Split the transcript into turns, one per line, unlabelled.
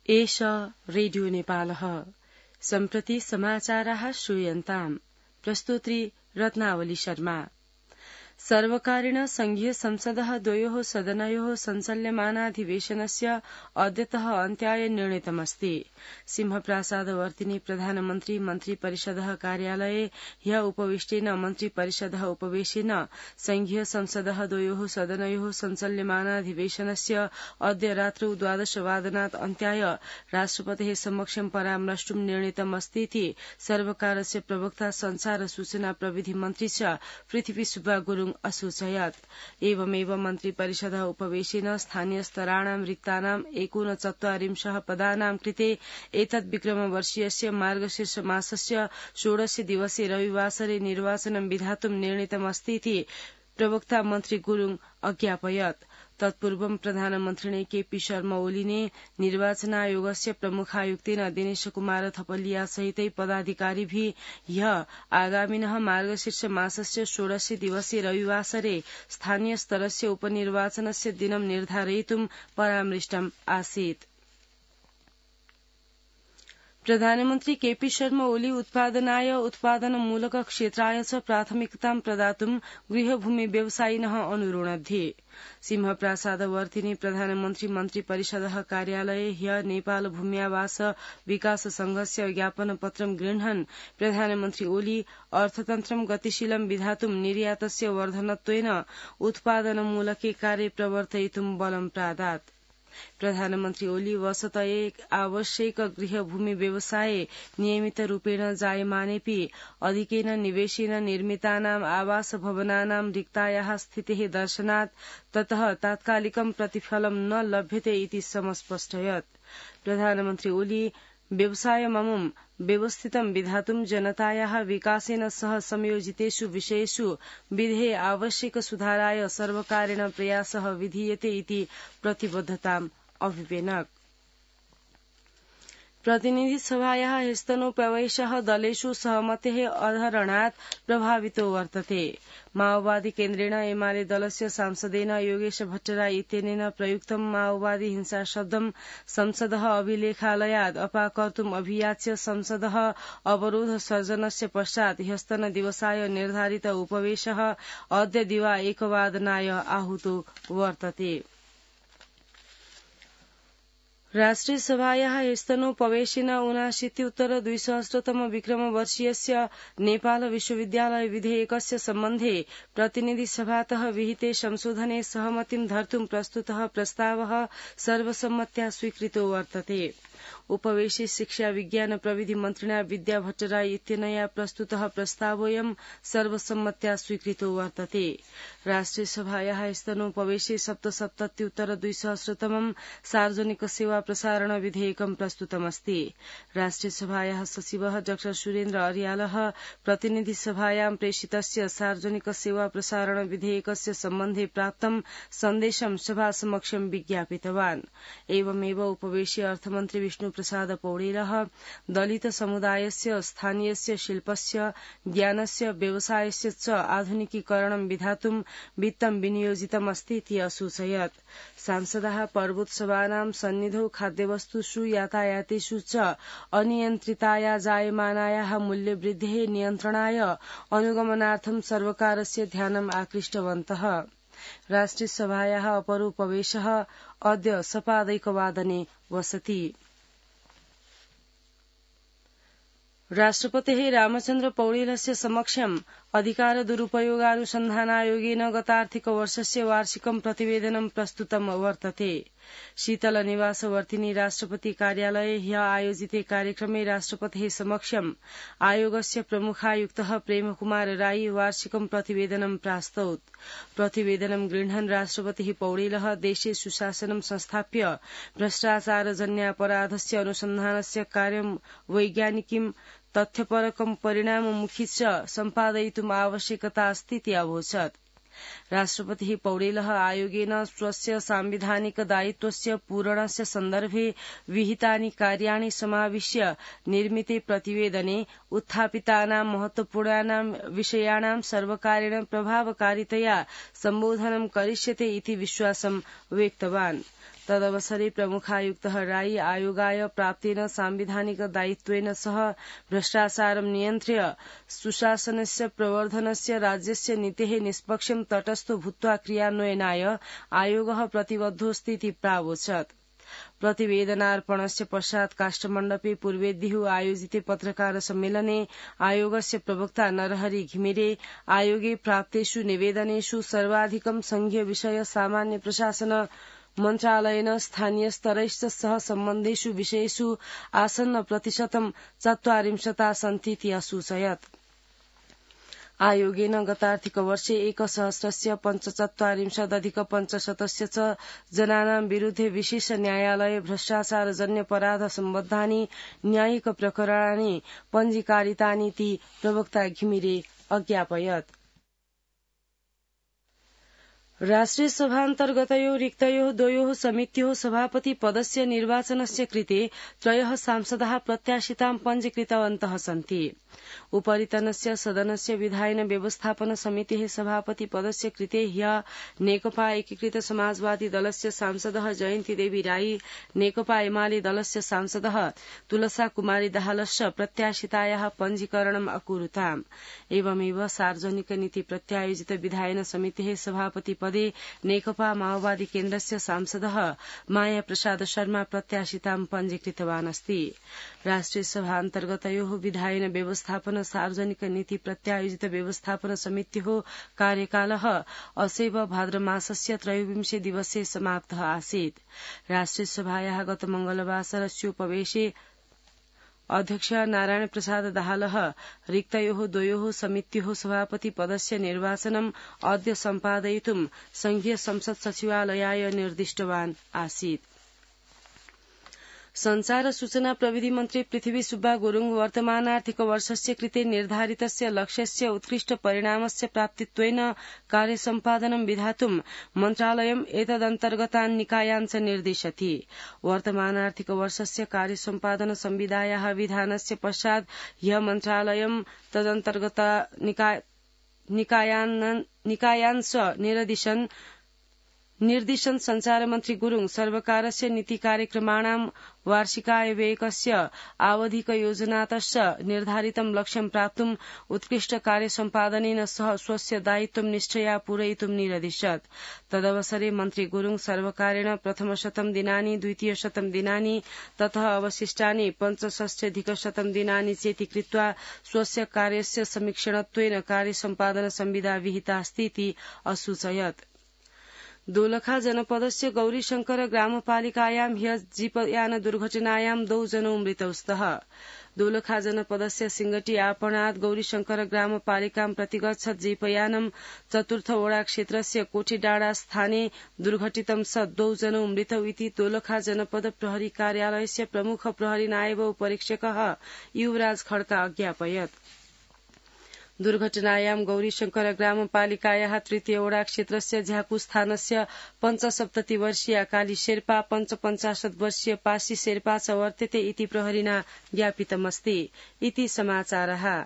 एष रेडियो नेपालः। सम्प्रति समाचाराः श्रूयन्ताम्। प्रस्तुत्री रत्नावली शर्मा। सर्वकारेण संघीय संसदः द्वयोः सदनयोः संचल्यमानाधिवेशनस्य अद्यतः अन्त्याय निर्णीतमस्ति। सिंहप्रासादवर्तिनि प्रधानमन्त्री मन्त्रिपरिषदः कार्यालये ह्य उपविष्टेन मन्त्रिपरिषदः उपवेशेन संघीय संसदः द्वयोः सदनयोः संचल्यमानाधिवेशनस्य अद्य रात्रौ 12 वादनात् अन्त्याय राष्ट्रपतेः समक्षं परामृष्टुं निर्णीतमस्तीति सर्वकारस्य प्रवक्ता संचार सूचना प्रविधि मन्त्री च पृथ्वी सुब्बा गुरुङ असूचयत्। एवमेव मन्त्रिपरिषदः उपवेशेन स्थानीय स्तराणां रिक्तानां 49 पदानां कृते एतद् विक्रमवर्षीयस्य मार्गशीर्ष मासस्य 16 दिवसे रविवासरे निर्वाचनं विधातुं निर्णीतमस्तीति प्रवक्ता मन्त्री गुरुङ अज्ञापयत्। तत्पूर्वं प्रधानमन्त्रिणे केपी शर्मा ओलीले निर्वाचन आयोगस्य प्रमुखायुक्तेन दिनेश कुमार थपलिया सहितै पदाधिकारिभिः ह्य आगामिनः मार्गशीर्ष मासस्य 16 दिवसे रविवासरे स्थानीय स्तरस्य उपनिर्वाचनस्य दिनं निर्धारयितुं परामृष्टम् आसीत्। प्रधानमन्त्री केपी शर्मा ओली उत्पादनाय उत्पादनमूलक क्षेत्राय च प्राथमिकतां प्रदातुं गृहभूमि व्यवसायिनः अनुरोणध्ये। सिंहप्रासादवर्तिनि प्रधानमन्त्री मन्त्रिपरिषदः कार्यालये ह्य नेपाल भूम्यावास विकास संघस्य ज्ञापनपत्रं गृह्णन् प्रधानमन्त्री ओली अर्थतन्त्रं गतिशीलं विधातुं निर्यातस्य वर्धनत्वेन उत्पादनमूलके कार्य प्रवर्तयितुं बलं प्रादात्। प्रधानमन्त्री ओली वसतये आवश्यक गृहभूमि व्यवसाये नियमितरूपेण जायमानेऽपि अधिकेन निवेशेन निर्मितानाम् आवास भवनानां रिक्तायाः स्थितेः दर्शनात् ततः तात्कालिकं प्रतिफलं न लभ्यते इति समस्पष्टयत्। प्रधानमन्त्री ओली व्यवसायममुं व्यवस्थितं विधातुं जनतायाः विकासेन सह संयोजितेषु विषयेषु विधेये आवश्यक सुधाराय सर्वकारेण प्रयासः विधीयते इति प्रतिबद्धताम् अभिव्यनक्। प्रतिनिधि सभायाः ह्यस्तनोपवेशः दलेषु सहमतेः अधरणात् प्रभावितो वर्तते। माओवादी केन्द्रेण एमाले दलस्य सांसदेन योगेश भट्टराई इत्यनेन प्रयुक्तं माओवादी हिंसा शब्दं संसदः अभिलेखालयात् अपाकर्तुम् अभियाच्य संसदः अवरोध सर्जनस्य पश्चात् ह्यस्तन दिवसाय निर्धारित उपवेशः अद्य दिवा 1 वादनाय आहूतो वर्तते। राष्ट्रिय सभायाः ह्यस्तनोपवेशेन 79-200 विक्रमवर्षीयस्य नेपाल विश्वविद्यालय विधेयकस्य सम्बन्धे प्रतिनिधि सभातः विहिते संशोधने सहमतिं धर्तुं प्रस्तुतः प्रस्तावः सर्वसम्मत्या स्वीकृतो वर्तते। उपवेशे शिक्षा विज्ञान प्रविधि मन्त्रिणा विद्या भट्टराई इत्यनया प्रस्तुतः प्रस्तावोऽयं सर्वसम्मत्या स्वीकृतो वर्तते। राष्ट्रिय सभायाः ह्यस्तनोपवेशे 77-200 सार्वजनिक सेवा प्रसारण विधेयकं प्रस्तुतमस्ति। राष्ट्रिय सभायाः सचिवः डॉ सुरेन्द्र अर्यालः प्रतिनिधि सभायां प्रेषितस्य सार्वजनिक सेवा प्रसारण विधेयकस्य सम्बन्धे प्राप्तं सन्देशं सभा समक्षं विज्ञापितवान्। एवमेव उपवेशे अर्थमन्त्री विष्णु प्रसाद पौडेलः दलित समुदायस्य स्थानीयस्य शिल्पस्य ज्ञानस्य व्यवसायस्य च आधुनिकीकरणं विधातुं वित्तं विनियोजितमस्तीति असूचयत्। सांसदाः पर्वोत्सवानां सन्निधौ खाद्यवस्तुषु यातायातेषु च अनियन्त्रिताया जायमानायाः मूल्यवृद्धेः नियन्त्रणाय अनुगमनार्थं सर्वकारस्य ध्यानम् आकृष्टवन्तः। राष्ट्रिय सभायाः अपरोपवेशः अद्य सपादैकवादने वसति। राष्ट्रपतेः रामचन्द्र पौडेलस्य समक्षम् अधिकार दुरुपयोगानुसन्धानायोगेन गतार्थिकवर्षस्य वार्षिकं प्रतिवेदनं प्रस्तुतं वर्तते। शीतल निवासवर्तिनि राष्ट्रपति कार्यालये ह्य आयोजिते कार्यक्रमे राष्ट्रपतेः समक्षम् आयोगस्य प्रमुखायुक्तः प्रेमकुमार राई वार्षिकं प्रतिवेदनं प्रास्तौत्। प्रतिवेदनं गृह्णन् राष्ट्रपतिः पौडेलः देशे सुशासनं संस्थाप्य भ्रष्टाचारजन्यापराधस्य अनुसन्धानस्य कार्यं वैज्ञानिकीं तथ्यपरकं परिणाममुखी च सम्पादयितुम् आवश्यकता अस्तीति अवोचत्। राष्ट्रपतिः पौडेलः आयोगेन स्वस्य सांविधानिक दायित्वस्य पूरणस्य सन्दर्भे विहितानि कार्याणि समाविश्य निर्मिते प्रतिवेदने उत्थापितानां महत्वपूर्णानां विषयाणां सर्वकारेण प्रभावकारितया सम्बोधनं करिष्यते इति विश्वासं व्यक्तवान्। तदवसरे प्रमुखायुक्तः राई आयोगाय प्राप्तेन सांविधानिक दायित्वेन सह भ्रष्टाचारं नियन्त्र्य सुशासनस्य प्रवर्धनस्य राज्यस्य नीतेः निष्पक्षं तटस्थो भूत्वा क्रियान्वयनाय आयोगः प्रतिबद्धोऽस्ति प्रावोचत्। प्रतिवेदनार्पणस्य पश्चात् काष्ठमण्डपे पूर्वेद्युः आयोजिते पत्रकार सम्मेलने आयोगस्य प्रवक्ता नरहरि घिमिरे आयोगे प्राप्तेषु निवेदनेषु सर्वाधिकं संघीय विषय सामान्य प्रशासन मन्त्रालयेन स्थानीय स्तरैश्च सह सम्बन्धेषु विषयेषु आसन्न प्रतिशतं 40 सन्तीति असूचयत्। आयोगेन गतार्थिकवर्षे 1,045,अधिक-5,500 च जनानां विरुद्धे विशेष न्यायालये भ्रष्टाचारजन्य सम्बद्धानि न्यायिक प्रकरणानि पञ्जीकारितानीति प्रवक्ता घिमिरे अज्ञापयत्। राष्ट्रिय सभान्तर्गतयो रिक्तयो द्वयोः समित्योः सभापति पदस्य निर्वाचनस्य कृते 3 सांसदाः प्रत्याशितां पञ्जीकृतवन्तः सन्ति। उपरितनस्य सदनस्य विधायन व्यवस्थापन समितेः सभापति पदस्य कृते ह्यः नेकपा एकीकृत समाजवादी दलस्य सांसदः जयन्ती देवी राई, नेकपा एमाले दलस्य सांसदः तुलसा कुमारी दाहालश्च प्रत्याशितायाः पञ्जीकरणम् अकुरुताम्। एवमेव सार्वजनिक नीति प्रत्यायोजित विधायन समितेः सभापति पदे नेकपा माओवादी केन्द्रस्य सांसदः माया प्रसाद शर्मा प्रत्याशितां पञ्जीकृतवान् अस्ति। राष्ट्रिय सभान्तर्गतयोः विधायन व्यवस्थापन सार्वजनिक नीति प्रत्यायोजित व्यवस्थापन समित्योः कार्यकालः असैव भाद्रमासस्य 23 दिवसे समाप्तः आसीत्। राष्ट्रिय सभायाः गत मंगलवासरस्योपवेशे अध्यक्ष नारायण प्रसाद दाहालः रिक्तयोः द्वयोः समित्योः सभापति पदस्य निर्वाचनम् अद्य सम्पादयितुं संघीय संसद सचिवालयाय निर्दिष्टवान् आसीत्। संचार सूचना प्रविधि मन्त्री पृथ्वी सुब्बा गुरुङ वर्तमानार्थिक वर्षस्य कृते निर्धारितस्य लक्ष्यस्य उत्कृष्ट परिणामस्य प्राप्तित्वेन कार्यसम्पादनं विधातुं मन्त्रालयम् एतदन्तर्गतान् निकायान् च निर्दिशति। वर्तमानार्थिक वर्षस्य कार्यसम्पादन संविदायाः विधानस्य पश्चात् ह्यः मन्त्रालयम् तदन्तर्गत निकायान् च निर्दिशन् संचार मन्त्री गुरुङ सर्वकारस्य नीति कार्यक्रमाणां वार्षिकाय व्ययकस्य आवधिक योजनातश्च निर्धारितं लक्ष्यं प्राप्तुं उत्कृष्ट कार्यसम्पादनेन सह स्वस्य दायित्वं निष्ठया पूरयितुं निरदिशत्। तदवसरे मन्त्री गुरुङ सर्वकारेण प्रथम 100 दिनानि, द्वितीय 100 दिनानि ततः अवशिष्टानि 65 दिनानि चेति कृत्वा स्वस्य कार्यस्य समीक्षणत्वेन कार्यसम्पादन संविदा विहितास्तीति असूचयत्। दोलखा जनपदस्य गौरीशंकर ग्रामपालिकायां ह्यः जीपयान दुर्घटनायां 2 जनौ मृतौ स्तः। दोलखा जनपदस्य सिंगटी आपणात् गौरीशंकर ग्रामपालिकां प्रतिगच्छत् जीपयानं चतुर्थ वडा क्षेत्रस्य कोठीडाँडा स्थाने दुर्घटितं सत् 2 जनौ मृतौ इति दोलखा जनपद प्रहरी कार्यालयस्य प्रमुख प्रहरी नायब उपरीक्षकः युवराज खड्का अज्ञापयत्। दुर्घटनायां गौरीशंकर ग्रामपालिकायाः तृतीय वडा क्षेत्रस्य झ्याकु स्थानस्य 75 वर्षीया काली शेर्पा 55 वर्षीय पासी शेर्पा च वर्तते इति प्रहरिणा ज्ञापितमस्ति। इति समाचारः।